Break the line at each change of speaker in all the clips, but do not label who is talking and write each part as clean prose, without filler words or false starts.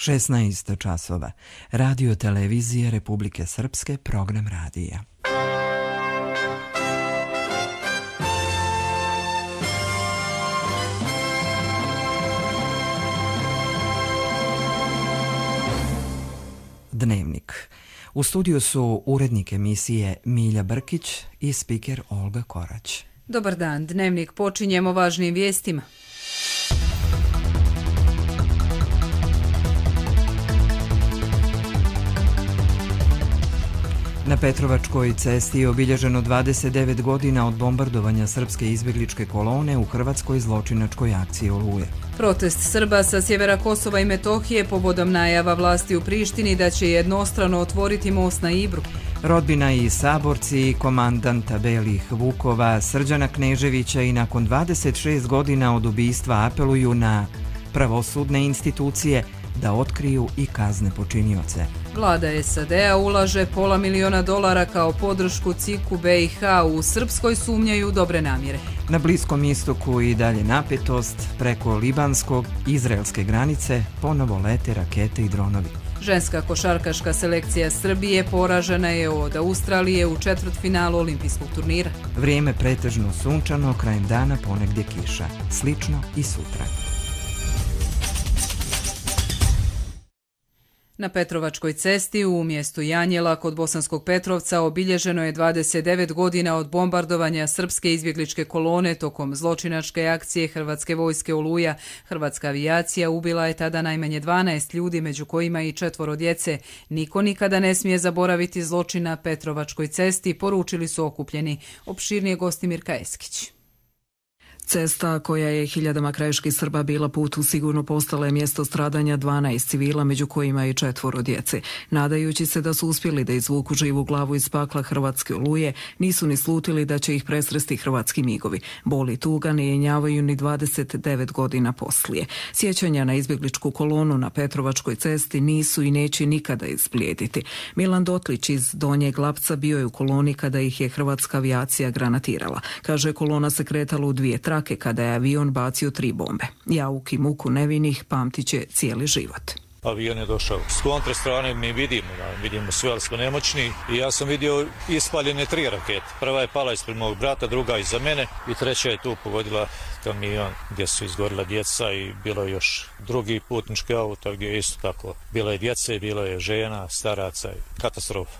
16 časova. Radio televizije Republike Srpske, program radija. Dnevnik. U studiju su urednik emisije Milja Brkić i spiker Olga Korać.
Dobar dan, Dnevnik počinjemo važnim vijestima.
Na Petrovačkoj cesti je obilježeno 29 godina od bombardovanja srpske izbjegličke kolone u hrvatskoj zločinačkoj akciji Oluje.
Protest Srba sa sjevera Kosova i Metohije povodom najava vlasti u Prištini da će jednostrano otvoriti most na Ibru.
Rodbina i saborci komandanta Belih Vukova Srđana Kneževića i nakon 26 godina od ubistva apeluju na pravosudne institucije da otkriju i kazne počinioce.
Vlada SAD-a ulaže $500 miliona kao podršku CIK-u BiH, u Srpskoj sumnjaju dobre namjere.
Na Bliskom istoku i dalje napetost, preko libanskog izraelske granice ponovo lete rakete i dronovi.
Ženska košarkaška selekcija Srbije poražena je od Australije u četvrtfinalu olimpijskog turnira.
Vrijeme pretežno sunčano, krajem dana ponegdje kiša. Slično i sutra.
Na Petrovačkoj cesti u mjestu Janjela kod Bosanskog Petrovca obilježeno je 29 godina od bombardovanja srpske izbjegličke kolone tokom zločinačke akcije Hrvatske vojske Oluja. Hrvatska avijacija ubila je tada najmanje 12 ljudi, među kojima i 4 djece. Niko nikada ne smije zaboraviti zločin na Petrovačkoj cesti, poručili su okupljeni. Opširnije Gostimir Kajeskić.
Cesta koja je hiljadama krajiških Srba bila put u sigurno postala je mjesto stradanja 12 civila, među kojima i 4 djece. Nadajući se da su uspjeli da izvuku živu glavu iz pakla Hrvatske Oluje, nisu ni slutili da će ih presresti hrvatski migovi. Bol i tuga ne jenjavaju ni 29 godina poslije. Sjećanja na izbjegličku kolonu na Petrovačkoj cesti nisu i neće nikada izblijediti. Milan Dotlić iz Donjeg Lapca bio je u koloni kada ih je hrvatska avijacija granatirala. Kaže, kolona se kretala u 2 trake kada je avion bacio 3 bombe. Jauk i muku nevinih pamtit će cijeli život.
Avion je došao. S kontre strane mi vidimo sve, ali smo nemoćni. I ja sam vidio ispaljene 3 rakete. Prva je pala ispred mog brata, druga iza mene i treća je tu pogodila kamion gdje su izgorila djeca i bilo je još drugi putnički auto gdje je isto tako. Bilo je djece, bilo je žena, staraca, katastrofa.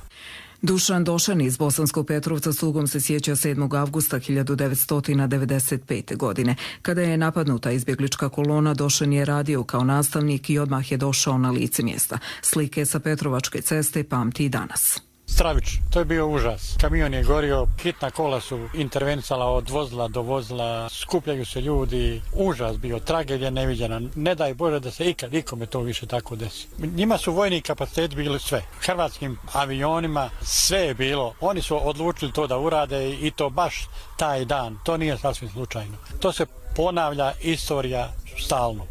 Dušan Došan iz Bosanskog Petrovca s tugom se sjeća 7. avgusta 1995. godine. Kada je napadnuta izbjeglička kolona, Došan je radio kao nastavnik i odmah je došao na lice mjesta. Slike sa Petrovačke ceste pamti i danas.
Stravično, to je bio užas. Kamion je gorio, hitna kola su intervencala od vozila do vozila, skupljaju se ljudi, užas bio, tragedija neviđena. Ne daj Bože da se ikome to više tako desi. Njima su vojni kapaciteti bili sve. Hrvatskim avionima sve je bilo. Oni su odlučili to da urade i to baš taj dan. To nije sasvim slučajno. To se ponavlja istorija stalno.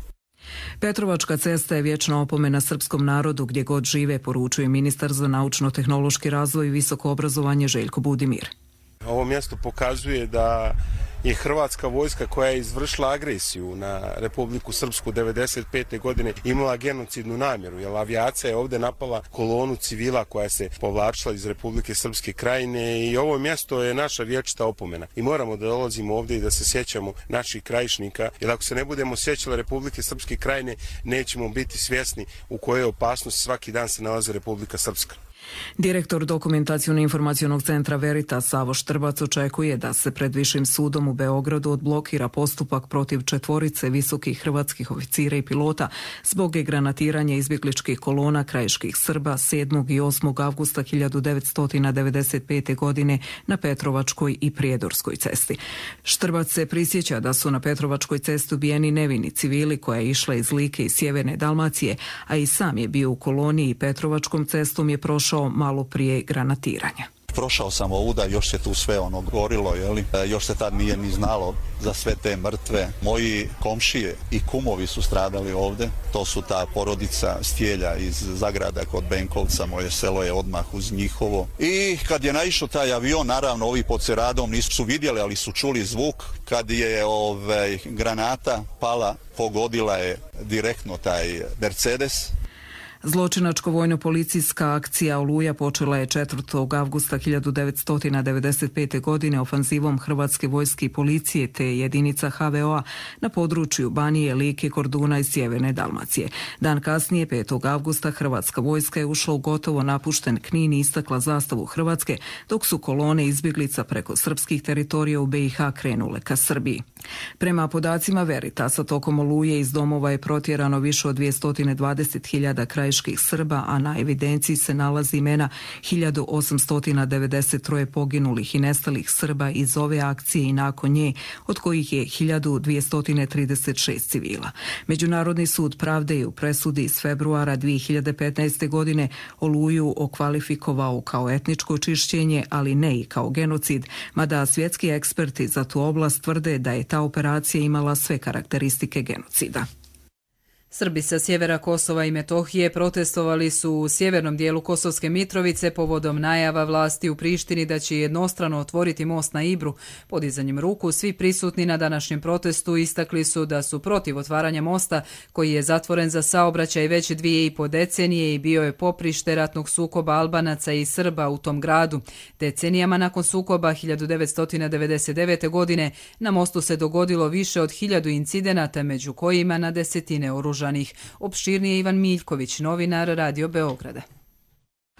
Petrovačka cesta je vječna opomena srpskom narodu gdje god žive, poručuje ministar za naučno-tehnološki razvoj i visoko obrazovanje Željko Budimir.
Ovo mjesto pokazuje da je hrvatska vojska koja je izvršila agresiju na Republiku Srpsku 1995. godine imala genocidnu namjeru, jer avijacija je ovdje napala kolonu civila koja se povlačila iz Republike Srpske krajine i ovo mjesto je naša vječita opomena. I moramo da dolazimo ovdje i da se sjećamo naših krajišnika, jer ako se ne budemo sjećali Republike Srpske krajine, nećemo biti svjesni u kojoj opasnosti svaki dan se nalazi Republika Srpska.
Direktor Dokumentaciono-informacionog centra Veritas Savo Štrbac očekuje da se pred Višim sudom u Beogradu odblokira postupak protiv 4 visokih hrvatskih oficira i pilota zbog granatiranja izbjegličkih kolona krajiških Srba 7. i 8. avgusta 1995. godine na Petrovačkoj i Prijedorskoj cesti. Štrbac se prisjeća da su na Petrovačkoj cesti ubijeni nevini civili koja je išla iz Like i sjeverne Dalmacije, a i sam je bio u koloni i Petrovačkom cestom je prošao malo prije granatiranja.
Prošao sam ovuda, još se tu sve gorilo, još se tad nije ni znalo za sve te mrtve. Moji komšije i kumovi su stradali ovdje, to su ta porodica Stjelja iz Zagrada kod Benkovca, moje selo je odmah uz njihovo. I kad je naišao taj avion, naravno ovi pod Ceradom nisu vidjeli, ali su čuli zvuk, kad je granata pala, pogodila je direktno taj Mercedes.
Zločinačko vojno-policijska akcija Oluja počela je 4. avgusta 1995. godine ofanzivom Hrvatske vojske i policije te jedinica HVO-a na području Banije, Like, Korduna i sjeverne Dalmacije. Dan kasnije, 5. avgusta, Hrvatska vojska je ušla u gotovo napušten Knin i istakla zastavu Hrvatske, dok su kolone izbjeglica preko srpskih teritorija u BiH krenule ka Srbiji. Prema podacima Veritasa, tokom Oluje iz domova je protjerano više od 220.000 krajiških Srba, a na evidenciji se nalazi imena 1893 poginulih i nestalih Srba iz ove akcije i nakon nje, od kojih je 1236 civila. Međunarodni sud pravde je u presudi iz februara 2015. godine Oluju okvalifikovao kao etničko čišćenje, ali ne i kao genocid, mada svjetski eksperti za tu oblast tvrde da je ta operacija imala sve karakteristike genocida.
Srbi sa sjevera Kosova i Metohije protestovali su u sjevernom dijelu Kosovske Mitrovice povodom najava vlasti u Prištini da će jednostrano otvoriti most na Ibru. Podizanjem ruku svi prisutni na današnjem protestu istakli su da su protiv otvaranja mosta koji je zatvoren za saobraćaj već 2,5 decenije i bio je poprište ratnog sukoba Albanaca i Srba u tom gradu. Decenijama nakon sukoba 1999. godine na mostu se dogodilo više od 1000 incidenata, među kojima na desetine oružanih. Opširnije Ivan Miljković, novinar Radio Beograda.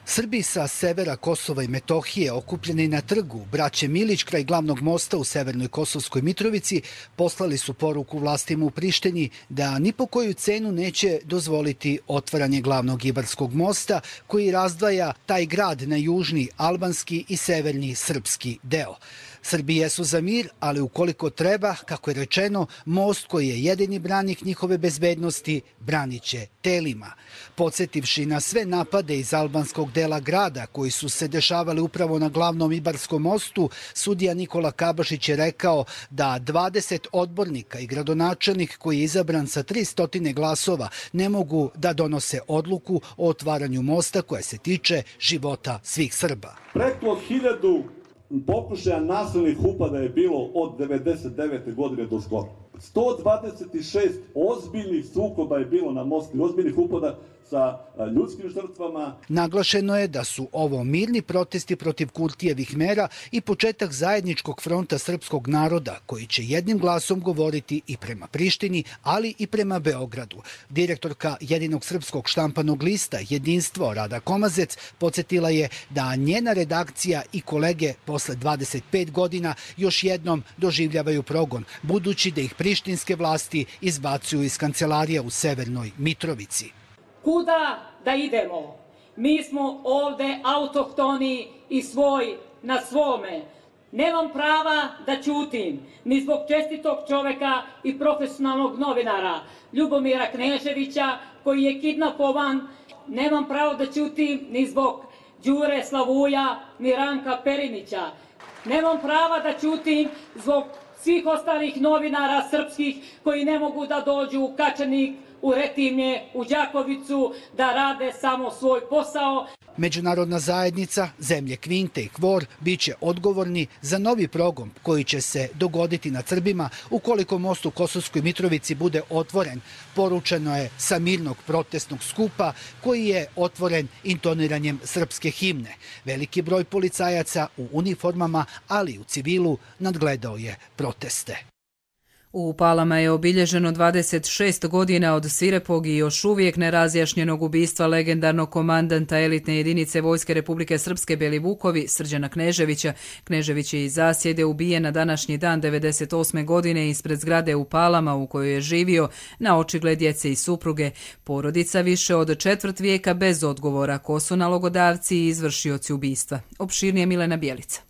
Srbi sa severa Kosova i Metohije okupljeni na trgu Braće Milić kraj glavnog mosta u severnoj Kosovskoj Mitrovici poslali su poruku vlastima u Prištini da ni po koju cenu neće dozvoliti otvaranje glavnog Ibarskog mosta koji razdvaja taj grad na južni albanski i severni srpski deo. Srbi jesu za mir, ali ukoliko treba, kako je rečeno, most koji je jedini branik njihove bezbednosti branit će telima. Podsjetivši na sve napade iz albanskog dela grada koji su se dešavali upravo na glavnom Ibarskom mostu, sudija Nikola Kabašić je rekao da 20 odbornika i gradonačelnik koji je izabran sa 300 glasova ne mogu da donose odluku o otvaranju mosta koja se tiče života svih Srba.
Preko 1000 pokušaja nasilnih upada je bilo od 99. godine do skoro. 126 ozbiljnih sukoba je bilo na mostu, ozbiljnih upada sa ljudskim žrtvama.
Naglašeno je da su ovo mirni protesti protiv Kurtijevih mera i početak zajedničkog fronta srpskog naroda koji će jednim glasom govoriti i prema Prištini, ali i prema Beogradu. Direktorka jedinog srpskog štampanog lista Jedinstvo Rada Komazec podsjetila je da njena redakcija i kolege posle 25 godina još jednom doživljavaju progon, budući da ih prištinske vlasti izbacuju iz kancelarija u severnoj Mitrovici.
Kuda da idemo? Mi smo ovde autohtoni i svoj na svome. Nemam prava da ćutim, ni zbog čestitog čoveka i profesionalnog novinara Ljubomira Kneževića koji je kidnapovan. Nemam pravo da ćutim ni zbog Đure Slavuja, ni Ranka Perinića. Nemam prava da ćutim zbog svih ostalih novinara srpskih koji ne mogu da dođu u Kačanik, u Retimlje, u Đakovicu, da rade samo svoj posao.
Međunarodna zajednica, zemlje Kvinte i Kvor biće odgovorni za novi progon koji će se dogoditi nad Srbima ukoliko most u Kosovskoj Mitrovici bude otvoren. Poručeno je sa mirnog protestnog skupa koji je otvoren intoniranjem srpske himne. Veliki broj policajaca u uniformama, ali i u civilu nadgledao je proteste.
U Palama je obilježeno 26 godina od svirepog i još uvijek nerazjašnjenog ubistva legendarnog komandanta elitne jedinice Vojske Republike Srpske Belivukovi, Srđana Kneževića. Knežević je iz zasjede ubijen na današnji dan 98. godine ispred zgrade u Palama u kojoj je živio na očigled djece i supruge. Porodica više od četvrt vijeka bez odgovora ko su nalogodavci i izvršioci ubistva. Opširnije Milena Bjelica.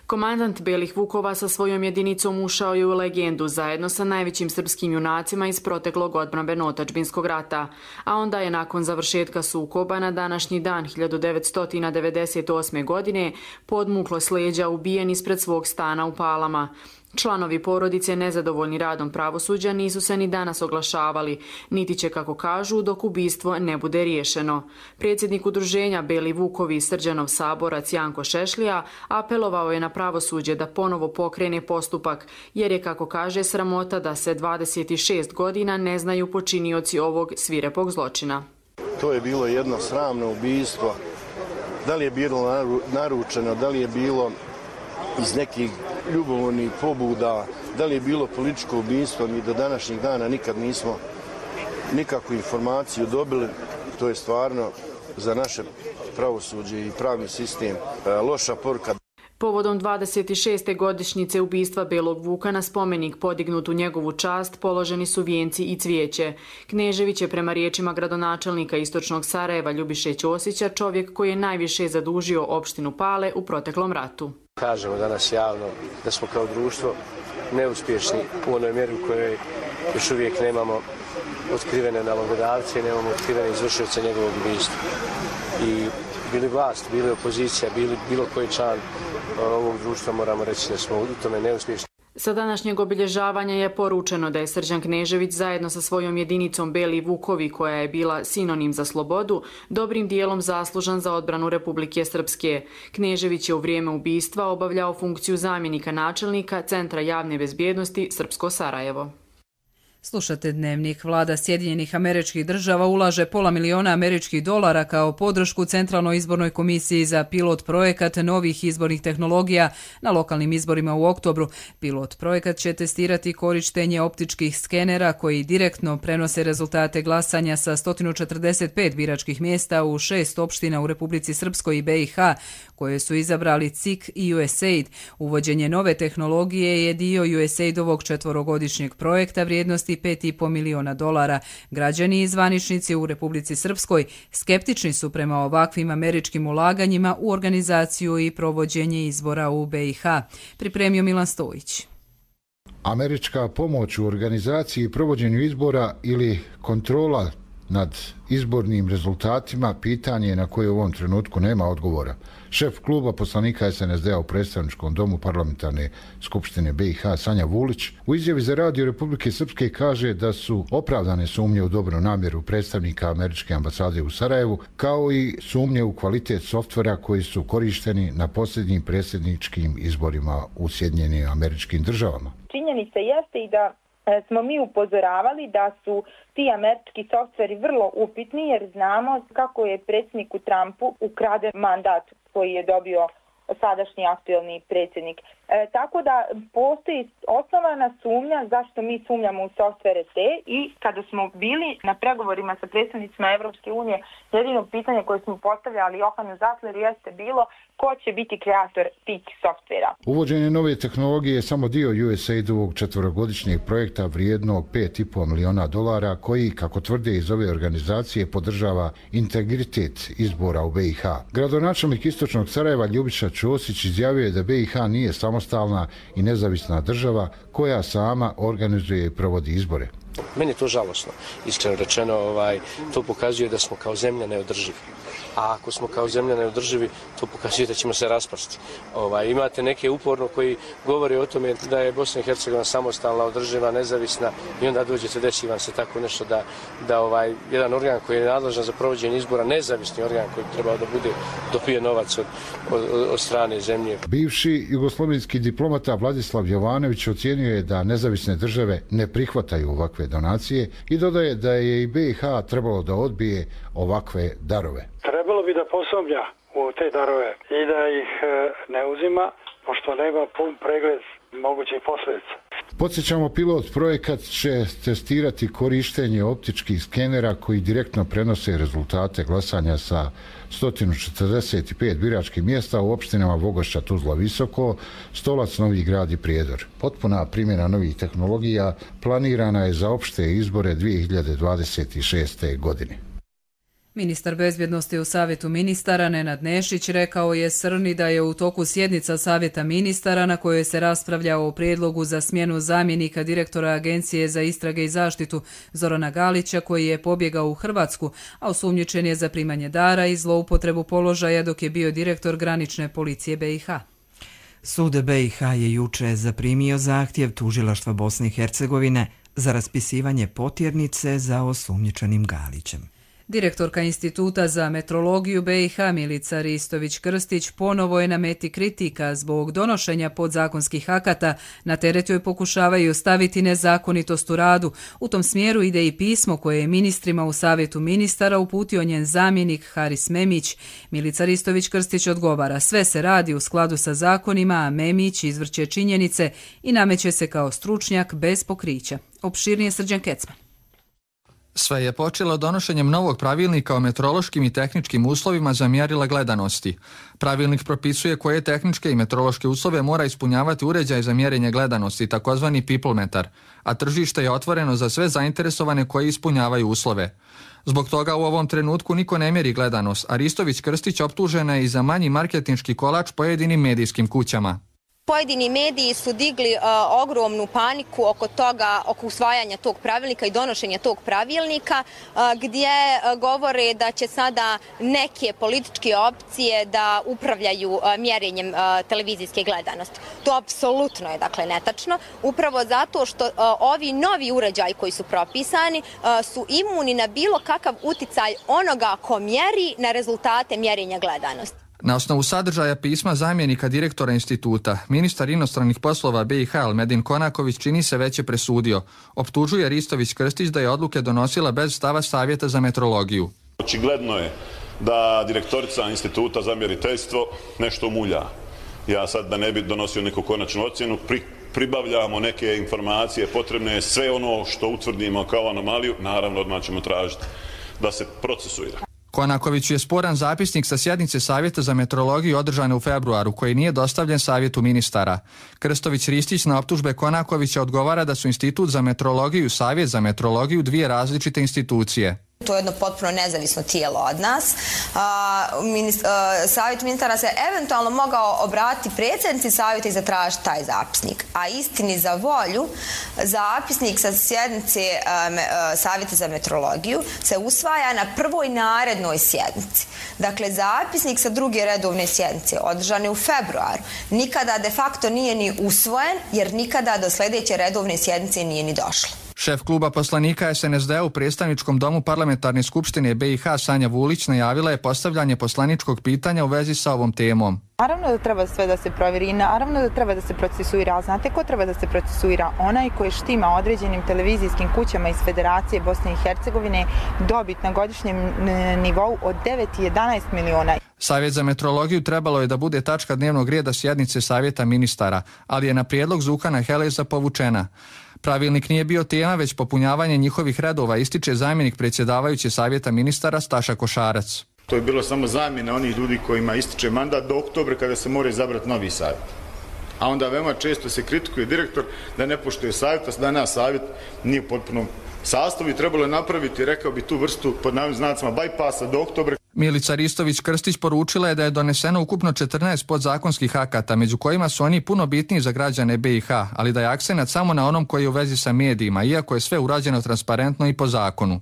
Komandant Belih Vukova sa svojom jedinicom ušao je u legendu zajedno sa najvećim srpskim junacima iz proteklog odbrambeno-otadžbinskog rata, a onda je nakon završetka sukoba na današnji dan 1998. godine podmuklo s leđa ubijen ispred svog stana u Palama. Članovi porodice nezadovoljni radom pravosuđa nisu se ni danas oglašavali, niti će, kako kažu, dok ubistvo ne bude riješeno. Predsjednik udruženja Beli Vukovi i Srđanov saborac Janko Šešlija apelovao je na pravosuđe da ponovo pokrene postupak, jer je, kako kaže, sramota da se 26 godina ne znaju počinioci ovog svirepog zločina.
To je bilo jedno sramno ubistvo. Da li je bilo naručeno, da li je bilo iz nekih ljubomornih pobuda, da li je bilo političko ubistvo, mi do današnjeg dana nikad nismo nikakvu informaciju dobili. To je stvarno za naše pravosuđe i pravni sistem loša poruka.
Povodom 26. godišnjice ubistva Belog Vuka na spomenik podignut u njegovu čast položeni su vijenci i cvijeće. Knežević je prema riječima gradonačelnika Istočnog Sarajeva Ljubiše Ćosića čovjek koji je najviše zadužio opštinu Pale u proteklom ratu.
Kažemo danas javno da smo kao društvo neuspješni u onoj mjeri u kojoj još uvijek nemamo otkrivene nalogodavce, nemamo otkrivene izvršioce njegovog ubistva. I bili vlast, bili opozicija, bilo koji član ovog društva, moramo reći da smo u tome neuspješni.
Sa današnjeg obilježavanja je poručeno da je Srđan Knežević zajedno sa svojom jedinicom Beli Vukovi, koja je bila sinonim za slobodu, dobrim dijelom zaslužan za odbranu Republike Srpske. Knežević je u vrijeme ubistva obavljao funkciju zamjenika načelnika Centra javne bezbjednosti Srpsko Sarajevo.
Slušate Dnevnik. Vlada Sjedinjenih Američkih Država ulaže $500 000 kao podršku Centralnoj izbornoj komisiji za pilot projekat novih izbornih tehnologija na lokalnim izborima u oktobru. Pilot projekat će testirati korištenje optičkih skenera koji direktno prenose rezultate glasanja sa 145 biračkih mjesta u 6 opština u Republici Srpskoj i BiH, koje su izabrali CIK i USAID. Uvođenje nove tehnologije je dio USAID-ovog 4-godišnjeg projekta vrijednosti $5,5 miliona. Građani i zvaničnici u Republici Srpskoj skeptični su prema ovakvim američkim ulaganjima u organizaciju i provođenje izbora u BiH. Pripremio Milan Stojić.
Američka pomoć u organizaciji i provođenju izbora ili kontrola nad izbornim rezultatima pitanje na koje u ovom trenutku nema odgovora. Šef kluba poslanika SNSD-a u predstavničkom domu parlamentarne skupštine BiH Sanja Vulić u izjavi za Radio Republike Srpske kaže da su opravdane sumnje u dobru namjeru predstavnika američke ambasade u Sarajevu, kao i sumnje u kvalitet softvera koji su korišteni na posljednjim predsjedničkim izborima u Sjedinjenim Američkim Državama.
Činjenica jeste i da smo mi upozoravali da su ti američki softveri vrlo upitni, jer znamo kako je predsjedniku Trumpu ukraden mandat koji je dobio sadašnji aktuelni predsjednik. Tako da postoji osnovana sumnja zašto mi sumnjamo u softvere te, i kada smo bili na pregovorima sa predstavnicima Evropske unije, jedino pitanje koje smo postavljali Johanu Zatleru jeste bilo ko će biti kreator tih softvera.
Uvođenje nove tehnologije je samo dio USAID-ovog 4-godišnjeg projekta vrijednog $5,5 miliona koji, kako tvrde iz ove organizacije, podržava integritet izbora u BiH. Gradonačelnik Istočnog Sarajeva Ljubiša Ćosić izjavio je da BiH nije samostalna i nezavisna država koja sama organizuje i provodi izbore.
Meni je to žalosno. Iskreno rečeno, to pokazuje da smo kao zemlja neodrživi. A ako smo kao zemlja neodrživi, to pokazuje da ćemo se raspasti. Imate neke uporno koji govore o tome da je Bosna i Hercegovina samostalna, održiva, nezavisna, i onda dođete, desi vam se tako nešto da jedan organ koji je nadležan za provođenje izbora, nezavisni organ koji trebao da bude, dobije novac od strane zemlje.
Bivši jugoslovenski diplomata Vladislav Jovanović ocijenio je da nezavisne države ne prihvataju ovakve donacije i dodaje da je i BiH trebalo da odbije ovakve darove.
Trebalo bi da posumnja u te darove i da ih ne uzima, pošto nema pun pregled mogućih posljedica.
Podsjećamo, pilot projekat će testirati korištenje optičkih skenera koji direktno prenose rezultate glasanja sa 145 biračkih mjesta u opštinama Vogošća, Tuzla, Visoko, Stolac, Novi Grad i Prijedor. Potpuna primjena novih tehnologija planirana je za opšte izbore 2026. godine.
Ministar bezbjednosti u Savjetu ministara Nenad Nešić rekao je Srni da je u toku sjednica Savjeta ministara na kojoj se raspravlja o prijedlogu za smjenu zamjenika direktora Agencije za istrage i zaštitu Zorana Galića, koji je pobjegao u Hrvatsku, a osumnjičen je za primanje dara i zloupotrebu položaja dok je bio direktor granične policije BiH.
Sud BiH je juče zaprimio zahtjev tužilaštva Bosne i Hercegovine za raspisivanje potjernice za osumnjičenim Galićem.
Direktorka Instituta za metrologiju BiH Milica Ristović-Krstić ponovo je na meti kritika zbog donošenja podzakonskih akata. Na teret joj pokušavaju staviti nezakonitost u radu. U tom smjeru ide i pismo koje je ministrima u Savjetu ministara uputio njen zamjenik Haris Memić. Milica Ristović-Krstić odgovara: sve se radi u skladu sa zakonima, a Memić izvrće činjenice i nameće se kao stručnjak bez pokrića. Opširnije Srđan Kecman.
Sve je počelo donošenjem novog pravilnika o meteorološkim i tehničkim uslovima za mjerila gledanosti. Pravilnik propisuje koje tehničke i meteorološke uslove mora ispunjavati uređaj za mjerenje gledanosti, takozvani peoplemetar, a tržište je otvoreno za sve zainteresovane koji ispunjavaju uslove. Zbog toga u ovom trenutku niko ne mjeri gledanost, a Ristović-Krstić optužena je i za manji marketinški kolač pojedinim medijskim kućama.
Pojedini mediji su digli ogromnu paniku oko usvajanja tog pravilnika i donošenja tog pravilnika, gdje govore da će sada neke političke opcije da upravljaju mjerenjem televizijske gledanosti. To apsolutno je netačno, upravo zato što ovi novi uređaji koji su propisani su imuni na bilo kakav uticaj onoga ko mjeri na rezultate mjerenja gledanosti.
Na osnovu sadržaja pisma zamjenika direktora instituta, ministar inostranih poslova BiH Elmedin Konaković čini se već je presudio. Optužuje Ristović-Krstić da je odluke donosila bez stava Savjeta za metrologiju.
Očigledno je da direktorica instituta za mjeriteljstvo nešto mulja. Ja sad da ne bi donosio neku konačnu ocjenu, pribavljamo neke informacije potrebne, sve ono što utvrdimo kao anomaliju, naravno odmah ćemo tražiti da se procesuira.
Konaković je sporan zapisnik sa sjednice Savjeta za metrologiju održane u februaru, koji nije dostavljen Savjetu ministara. Krstović-Ristić na optužbe Konakovića odgovara da su Institut za metrologiju i Savjet za metrologiju dvije različite institucije.
To je jedno potpuno nezavisno tijelo od nas. Savjet ministara se eventualno mogao obratiti predsjednici savjeta i zatražiti taj zapisnik. A istini za volju, zapisnik sa sjednice Savjeta za metrologiju se usvaja na prvoj narednoj sjednici. Dakle, zapisnik sa druge redovne sjednice održane u februaru nikada de facto nije ni usvojen, jer nikada do sljedeće redovne sjednice nije ni došlo.
Šef kluba poslanika SNSD u predstavničkom domu parlamentarne skupštine BiH Sanja Vulić najavila je postavljanje poslaničkog pitanja u vezi sa ovom temom.
Naravno da treba sve da se provjeri i naravno da treba da se procesuira. Znate ko treba da se procesuira? Onaj koji štima određenim televizijskim kućama iz Federacije Bosne i Hercegovine dobit na godišnjem nivou od 9 i 11 miliona.
Savjet za metrologiju trebalo je da bude tačka dnevnog reda sjednice Savjeta ministara, ali je na prijedlog Zukana Heleza povučena. Pravilnik nije bio tema, već popunjavanje njihovih redova, ističe zamjenik predsjedavajuće Savjeta ministara Staša Košarac.
To je bilo samo zamjena onih ljudi kojima ističe mandat do oktobra kada se mora izabrati novi savjet. A onda veoma često se kritikuje direktor da ne poštuje savjet, a danas savjet nije u potpunom sastavu i trebalo je napraviti, rekao bi, tu vrstu pod navodnim znacima bypassa do oktobra.
Milica Ristović-Krstić poručila je da je doneseno ukupno 14 podzakonskih akata, među kojima su oni puno bitniji za građane BiH, ali da je akcenat samo na onom koji je u vezi sa medijima, iako je sve urađeno transparentno i po zakonu.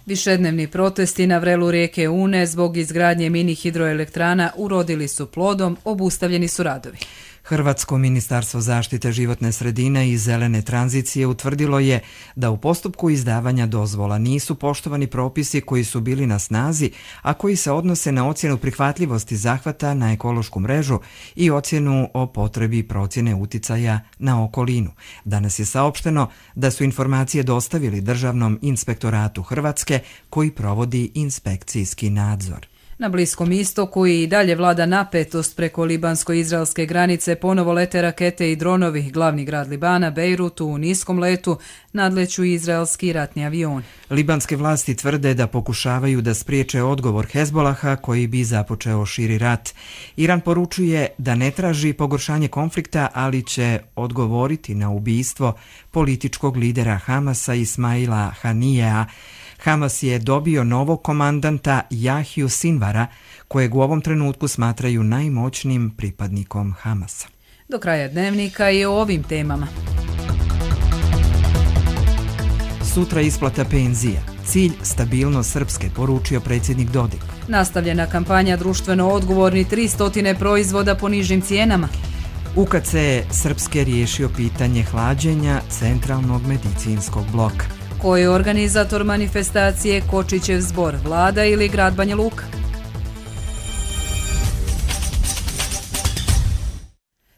Višednevni protesti na vrelu rijeke Une zbog izgradnje mini hidroelektrana urodili su plodom, obustavljeni su radovi.
Hrvatsko ministarstvo zaštite životne sredine i zelene tranzicije utvrdilo je da u postupku izdavanja dozvola nisu poštovani propisi koji su bili na snazi, a koji se odnose na ocjenu prihvatljivosti zahvata na ekološku mrežu i ocjenu o potrebi procjene uticaja na okolinu. Danas je saopšteno da su informacije dostavili Državnom inspektoratu Hrvatske koji provodi inspekcijski nadzor.
Na Bliskom istoku i dalje vlada napetost. Preko libansko-izraelske granice ponovo lete rakete i dronovi. Glavni grad Libana, Bejrut, u niskom letu nadleću izraelski ratni avioni.
Libanske vlasti tvrde da pokušavaju da spriječe odgovor Hezbolaha koji bi započeo širi rat. Iran poručuje da ne traži pogoršanje konflikta, ali će odgovoriti na ubistvo političkog lidera Hamasa Ismaila Hanijea. Hamas je dobio novog komandanta Jahiju Sinvara, kojeg u ovom trenutku smatraju najmoćnijim pripadnikom Hamasa.
Do kraja dnevnika i o ovim temama.
Sutra isplata penzija. Cilj stabilnost Srpske, poručio predsjednik Dodik.
Nastavljena kampanja društveno odgovorni 300 proizvoda po nižim cijenama.
UKC Srpske riješio pitanje hlađenja centralnog medicinskog bloka.
Ko je organizator manifestacije Kočićev zbor, vlada ili grad Banja Luka?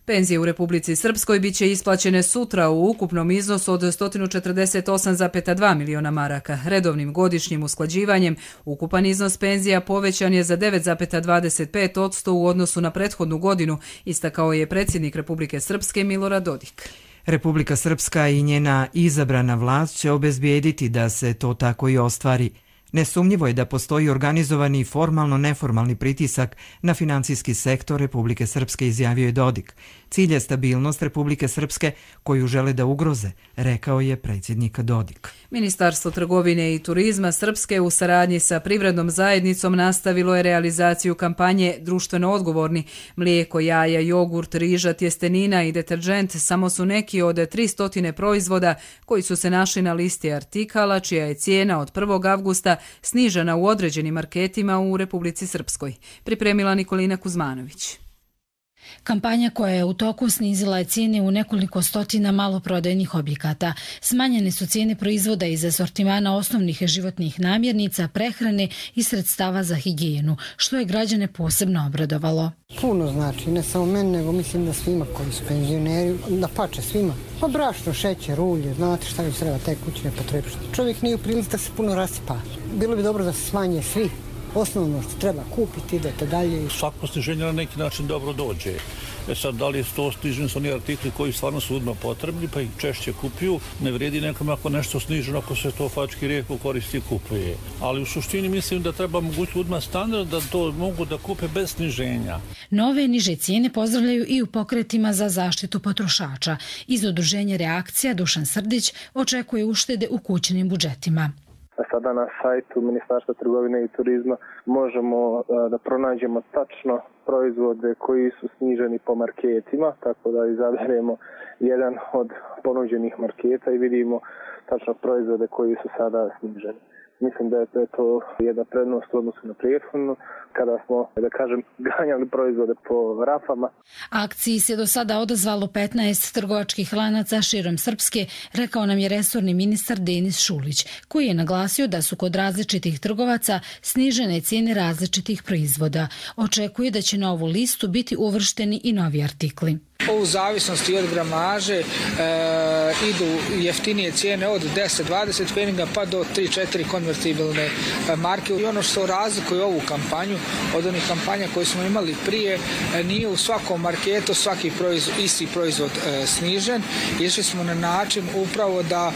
Penzije u Republici Srpskoj biće isplaćene sutra u ukupnom iznosu od 148,2 miliona maraka. Redovnim godišnjim usklađivanjem ukupan iznos penzija povećan je za 9,25% u odnosu na prethodnu godinu, istakao je predsjednik Republike Srpske Milorad Dodik.
Republika Srpska i njena izabrana vlast će obezbijediti da se to tako i ostvari. Nesumnjivo je da postoji organizovani formalno-neformalni pritisak na financijski sektor Republike Srpske, izjavio je Dodik. Cilj je stabilnost Republike Srpske koju žele da ugroze, rekao je predsjednik Dodik.
Ministarstvo trgovine i turizma Srpske u saradnji sa privrednom zajednicom nastavilo je realizaciju kampanje Društveno odgovorni. Mlijeko, jaja, jogurt, riža, tjestenina i deterdžent samo su neki od 300 proizvoda koji su se našli na listi artikala čija je cijena od 1. avgusta snižena u određenim marketima u Republici Srpskoj. Pripremila Nikolina Kuzmanović.
Kampanja koja je u toku snizila je cijene u nekoliko stotina maloprodajnih objekata. Smanjene su cijene proizvoda iz asortimana osnovnih životnih namirnica, prehrane i sredstava za higijenu, što je građane posebno obradovalo.
Puno znači, ne samo meni, nego mislim da svima koji su penzioneri, da pače svima. Pa brašno, šećer, ulje, znate šta već treba, te kućne potrepštine. Čovjek nije u prilici da se puno rasipa. Bilo bi dobro da se smanje svi. Osnovno što treba kupiti, idete dalje.
Svako sniženje na neki način dobro dođe. Sad, da li je to sniženi su oni artikli koji stvarno su odmah potrebni, pa ih češće kupuju. Ne vredi nekom ako nešto sniženo, ako se to fački rijetko koristi i kupuje. Ali u suštini mislim da treba mogući odmah standard da to mogu da kupe bez sniženja.
Nove niže cijene pozdravljaju i u pokretima za zaštitu potrošača. Iz udruženja Reakcija Dušan Srdić očekuje uštede u kućnim budžetima.
Sada na sajtu Ministarstva trgovine i turizma možemo da pronađemo tačno proizvode koji su sniženi po marketima, tako da izaberemo jedan od ponuđenih marketa i vidimo tačno proizvode koji su sada sniženi. Mislim da je to jedna prednost u odnosu na prethodnu, kada smo, da kažem, ganjali proizvode po rafama.
Akciji se do sada odazvalo 15 trgovačkih lanaca širom Srpske, rekao nam je resorni ministar Denis Šulić, koji je naglasio da su kod različitih trgovaca snižene cijene različitih proizvoda. Očekuje da će na ovu listu biti uvršteni i novi artikli.
U zavisnosti od gramaže idu jeftinije cijene od 10-20 pfeniga pa do 3-4 konvertibilne marke. I ono što razlikuje ovu kampanju od onih kampanja koje smo imali prije, nije u svakom marketu svaki isti proizvod snižen. Išli smo na način upravo da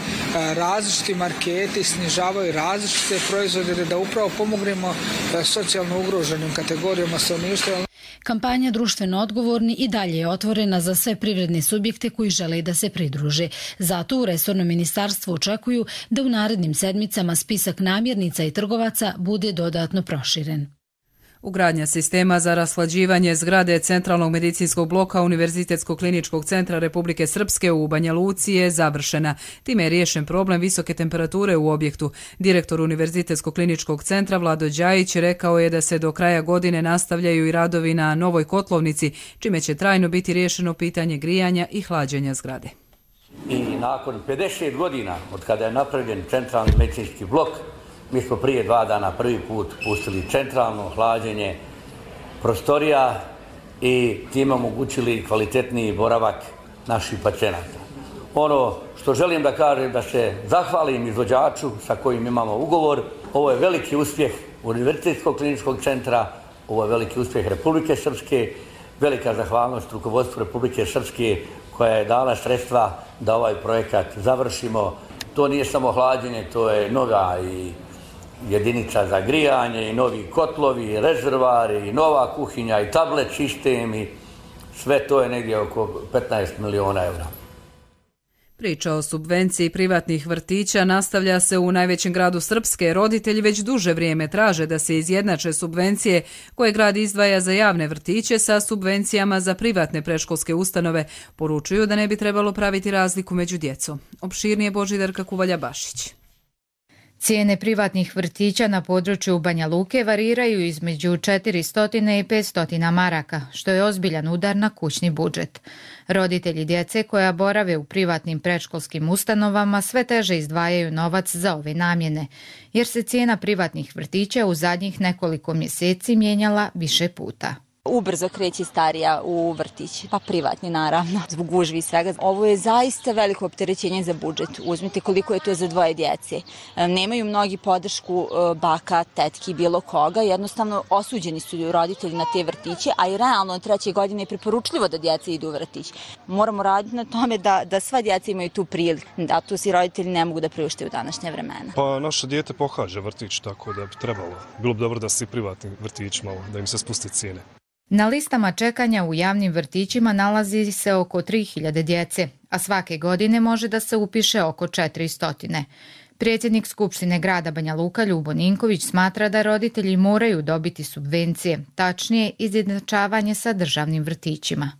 različiti marketi snižavaju različite proizvode, da upravo pomognemo socijalno ugroženim kategorijama stanovništva.
Kampanja Društveno odgovorni i dalje je otvorena za sve privredne subjekte koji žele da se pridruže. Zato u resornom ministarstvu očekuju da u narednim sedmicama spisak namirnica i trgovaca bude dodatno proširen.
Ugradnja sistema za rashlađivanje zgrade Centralnog medicinskog bloka Univerzitetskog kliničkog centra Republike Srpske u Banja Luci je završena. Time je riješen problem visoke temperature u objektu. Direktor Univerzitetskog kliničkog centra Vlado Đajić rekao je da se do kraja godine nastavljaju i radovi na novoj kotlovnici, čime će trajno biti riješeno pitanje grijanja i hlađenja zgrade.
I nakon 50 godina od kada je napravljen Centralni medicinski blok, mi smo prije 2 dana prvi put pustili centralno hlađenje prostorija i time omogućili kvalitetniji boravak naših pacijenata. Ono što želim da kažem, da se zahvalim izvođaču sa kojim imamo ugovor. Ovo je veliki uspjeh Univerzitetskog kliničkog centra, ovo je veliki uspjeh Republike Srpske, velika zahvalnost rukovodstvu Republike Srpske koja je dala sredstva da ovaj projekat završimo. To nije samo hlađenje, to je nova i jedinica za grijanje i novi kotlovi, i rezervari, i nova kuhinja, i tablet sistem i sve to je negdje oko 15 miliona eura.
Priča o subvenciji privatnih vrtića nastavlja se u najvećem gradu Srpske. Roditelji već duže vrijeme traže da se izjednače subvencije koje grad izdvaja za javne vrtiće sa subvencijama za privatne predškolske ustanove. Poručuju da ne bi trebalo praviti razliku među djecom. Opširnije Božidarka Kuvalja-Bašić.
Cijene privatnih vrtića na području Banja Luke variraju između 400 i 500 maraka, što je ozbiljan udar na kućni budžet. Roditelji djece koja borave u privatnim predškolskim ustanovama sve teže izdvajaju novac za ove namjene, jer se cijena privatnih vrtića u zadnjih nekoliko mjeseci mijenjala više puta.
Ubrzo kreće starija u vrtić, pa privatni naravno, zbog gužvi i svega. Ovo je zaista veliko opterećenje za budžet. Uzmite koliko je to za 2 djece. Nemaju mnogi podršku baka, tetki, bilo koga. Jednostavno osuđeni su roditelji na te vrtiće, a i realno od 3. godine je preporučljivo da djeca idu u vrtić. Moramo raditi na tome da sva djeca imaju tu priliku, da to si roditelji ne mogu da priušte u današnje vremena.
Pa naše dijete pohađa vrtić, tako da bi trebalo. Bilo bi dobro da se i privatni vrtić malo, da im se spusti cijene.
Na listama čekanja u javnim vrtićima nalazi se oko 3000 djece, a svake godine može da se upiše oko 400. Predsjednik Skupštine grada Banja Luka Ljubo Ninković smatra da roditelji moraju dobiti subvencije, tačnije izjednačavanje sa državnim vrtićima.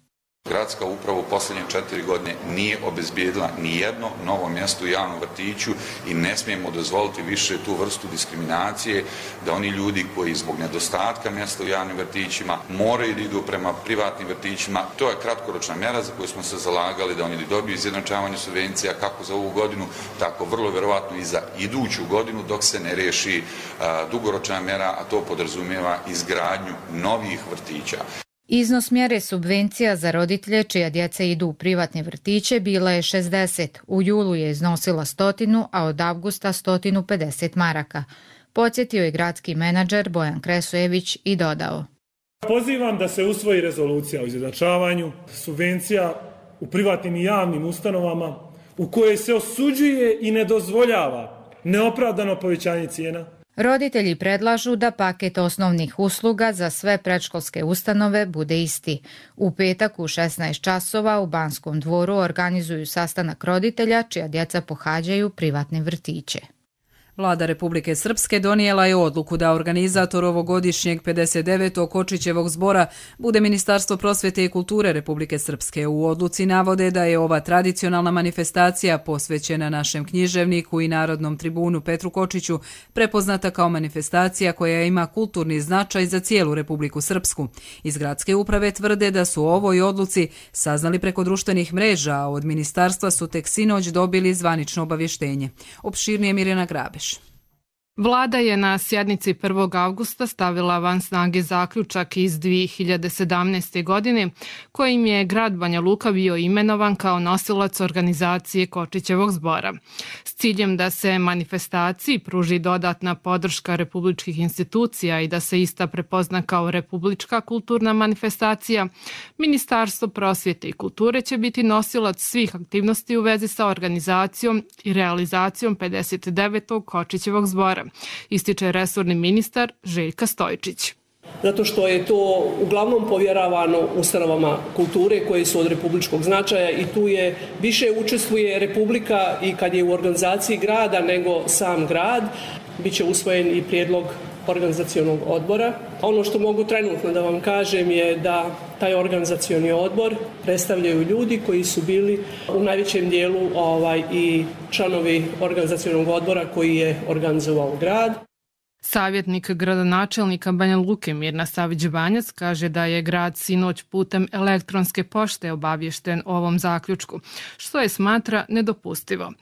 Gradska uprava u posljednje 4 godine nije obezbijedila ni jedno novo mjesto u javnom vrtiću i ne smijemo dozvoliti više tu vrstu diskriminacije da oni ljudi koji zbog nedostatka mjesta u javnim vrtićima moraju da idu prema privatnim vrtićima. To je kratkoročna mjera za koju smo se zalagali da oni dobiju izjednačavanje subvencija kako za ovu godinu, tako vrlo vjerovatno i za iduću godinu dok se ne riješi dugoročna mjera, a to podrazumijeva izgradnju novih vrtića.
Iznos mjere subvencija za roditelje čija djeca idu u privatne vrtiće bila je 60, u julu je iznosila 100, a od avgusta 150 maraka. Podsjetio je gradski menadžer Bojan Kresojević i dodao.
Pozivam da se usvoji rezolucija o izjednačavanju subvencija u privatnim i javnim ustanovama u kojoj se osuđuje i ne dozvoljava neopravdano povećanje cijena.
Roditelji predlažu da paket osnovnih usluga za sve predškolske ustanove bude isti. U petak u 16 časova u Banskom dvoru organizuju sastanak roditelja čija djeca pohađaju privatne vrtiće.
Vlada Republike Srpske donijela je odluku da organizator ovogodišnjeg 59. Kočićevog zbora bude Ministarstvo prosvjete i kulture Republike Srpske. U odluci navode da je ova tradicionalna manifestacija posvećena našem književniku i narodnom tribunu Petru Kočiću prepoznata kao manifestacija koja ima kulturni značaj za cijelu Republiku Srpsku. Iz gradske uprave tvrde da su o ovoj odluci saznali preko društvenih mreža, a od ministarstva su tek sinoć dobili zvanično obavještenje. Opširnije Mirjana Grabeš.
Vlada je na sjednici 1. avgusta stavila van snage zaključak iz 2017. godine kojim je grad Banja Luka bio imenovan kao nosilac organizacije Kočićevog zbora. S ciljem da se manifestaciji pruži dodatna podrška republičkih institucija i da se ista prepozna kao republička kulturna manifestacija, Ministarstvo prosvjete i kulture će biti nosilac svih aktivnosti u vezi sa organizacijom i realizacijom 59. Kočićevog zbora, ističe resorni ministar Željka Stojičić.
Zato što je to uglavnom povjeravano ustanovama kulture koje su od republičkog značaja i tu je više učestvuje Republika i kad je u organizaciji grada nego sam grad. Biće usvojen i prijedlog organizacionog odbora. Ono što mogu trenutno da vam kažem je da taj organizacioni odbor predstavljaju ljudi koji su bili u najvećem dijelu i članovi organizacionog odbora koji je organizovao grad.
Savjetnik gradonačelnika Banja Luke Mirna Savić-Banjac kaže da je grad sinoć putem elektronske pošte obavješten o ovom zaključku, što je smatra nedopustivo.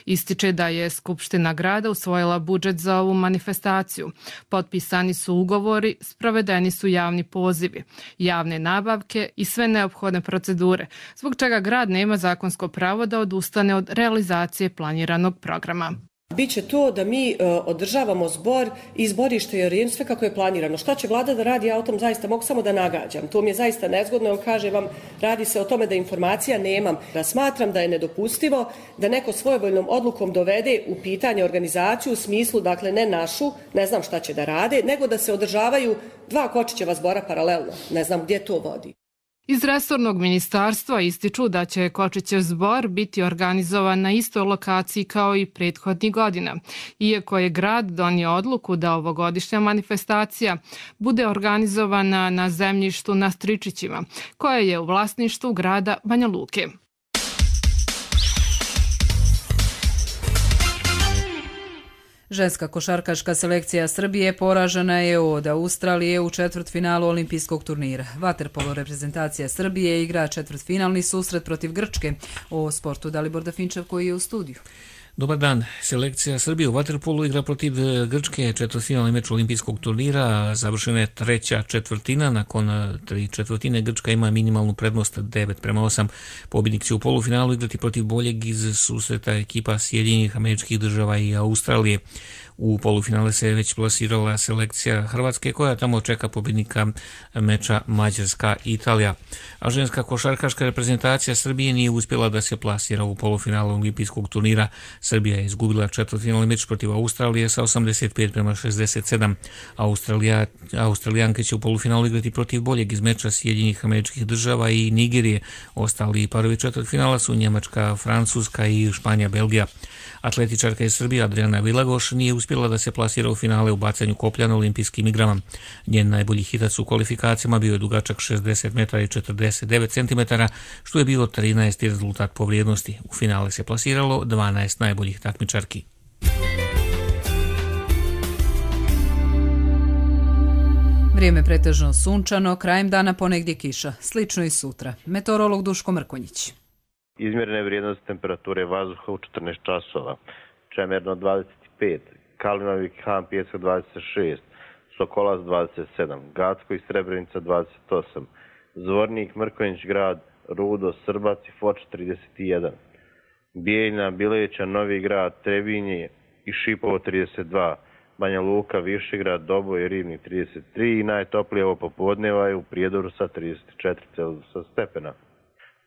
Ističe da je Skupština grada usvojila budžet za ovu manifestaciju. Potpisani su ugovori, sprovedeni su javni pozivi, javne nabavke i sve neophodne procedure, zbog čega grad nema zakonsko pravo da odustane od realizacije planiranog programa.
Biće to da mi održavamo zbor i zborište jer sve kako je planirano. Šta će vlada da radi, ja o tom zaista mogu samo da nagađam. To mi je zaista nezgodno, jer kažem vam, radi se o tome da informacija nemam. Da smatram da je nedopustivo da neko svojevoljnom odlukom dovede u pitanje organizaciju u smislu, dakle ne našu, ne znam šta će da rade, nego da se održavaju 2 Kočićeva zbora paralelno. Ne znam gdje to vodi.
Iz resornog ministarstva ističu da će Kočićev zbor biti organizovan na istoj lokaciji kao i prethodnih godina, iako je grad donio odluku da ovogodišnja manifestacija bude organizovana na zemljištu na Stričićima, koje je u vlasništvu grada Banja Luke.
Ženska košarkaška selekcija Srbije poražena je od Australije u četvrtfinalu olimpijskog turnira. Vaterpolo reprezentacija Srbije igra četvrtfinalni susret protiv Grčke. O sportu Dalibor Dafinčev koji je u studiju.
Dobar dan. Selekcija Srbije u vaterpolu igra protiv Grčke, četvrtfinalni meč olimpijskog turnira. Završena je treća četvrtina. Nakon tri četvrtine Grčka ima minimalnu prednost 9:8. Pobjednik će u polufinalu igrati protiv boljeg iz susreta ekipa Sjedinjenih Američkih Država i Australije. U polufinale se već plasirala selekcija Hrvatske koja tamo čeka pobjednika meča Mađarska-Italija. A ženska košarkaška reprezentacija Srbije nije uspjela da se plasira u polufinalu olimpijskog turnira. Srbija je izgubila četvrtfinalni meč protiv Australije sa 85:67. Australijanke će u polufinalu igrati protiv boljeg iz meča Sjedinjenih Američkih Država i Nigerije. Ostali parovi četvrtfinala su Njemačka, Francuska i Španija, Belgija. Atletičarka iz Srbije Adriana Vilagoš nije uspjela da se plasira u finale u bacanju koplja na olimpijskim igrama. Njen najbolji hitac u kvalifikacijama bio je dugačak 60 metara i 49 cm, što je bio 13. rezultat po vrijednosti. U finale se plasiralo 12 najboljih takmičarki.
Vrijeme pretežno sunčano, krajem dana ponegdje kiša. Slično i sutra. Meteorolog Duško Mrkonjić.
Izmjerene vrijednosti temperature vazduha u 14 časova. Čemerno 25, Kalinović Han Pjesak 26, Sokolac 27, Gacko i Srebrenica 28, Zvornik, Mrkonjić grad, Rudo, Srbac i Foč 31, Bijeljna, Bileća, Novi grad, Trebinje i Šipovo 32, Banja Luka, Višegrad, Doboj i Rivnik 33 i najtoplije ovo popodneva je u Prijedoru sa 34 stepena.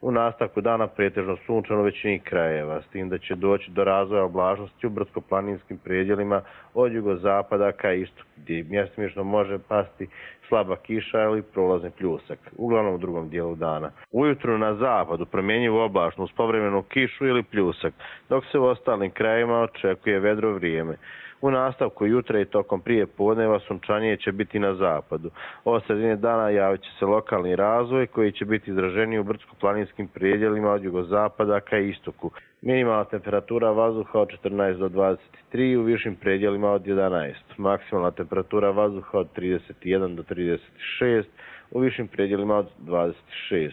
U nastavku dana pretežno sunčano u većini krajeva, s tim da će doći do razvoja oblačnosti u brdsko-planinskim predjelima od jugozapada ka istoku, gdje mjestimično može pasti slaba kiša ili prolazni pljusak, uglavnom u drugom dijelu dana. Ujutru na zapadu promjenjivo oblačno uz povremenu kišu ili pljusak, dok se u ostalim krajevima očekuje vedro vrijeme. U nastavku jutra i tokom prije podneva sunčanije će biti na zapadu. Od sredine dana javit će se lokalni razvoj koji će biti izraženiji u brdsko-planinskim predjelima od jugozapada ka istoku. Minimalna temperatura vazduha od 14 do 23, u višim predjelima od 11. Maksimalna temperatura vazduha od 31 do 36, u višim predjelima od 26.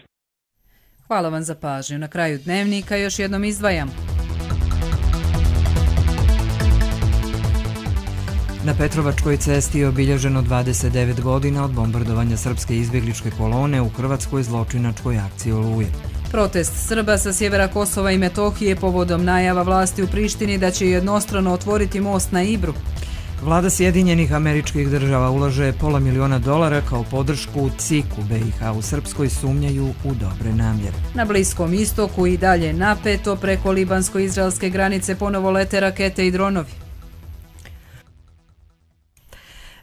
Hvala vam za pažnju. Na kraju dnevnika još jednom izdvajam.
Na Petrovačkoj cesti je obilježeno 29 godina od bombardovanja srpske izbjegličke kolone u hrvatskoj zločinačkoj akciji Oluje.
Protest Srba sa sjevera Kosova i Metohije povodom najava vlasti u Prištini da će jednostrano otvoriti most na Ibru.
Vlada Sjedinjenih Američkih Država ulaže $500.000 kao podršku CIK-u. BiH u Srpskoj sumnjaju u dobre namjere.
Na Bliskom istoku i dalje napeto, preko libansko-izraelske granice ponovo lete rakete i dronovi.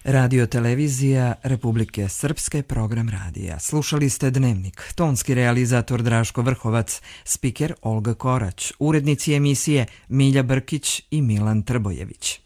Radio televizija Republike Srpske, program radija. Slušali ste Dnevnik. Tonski realizator Draško Vrhovac, spiker Olga Korać, urednici emisije Milja Brkić i Milan Trbojević.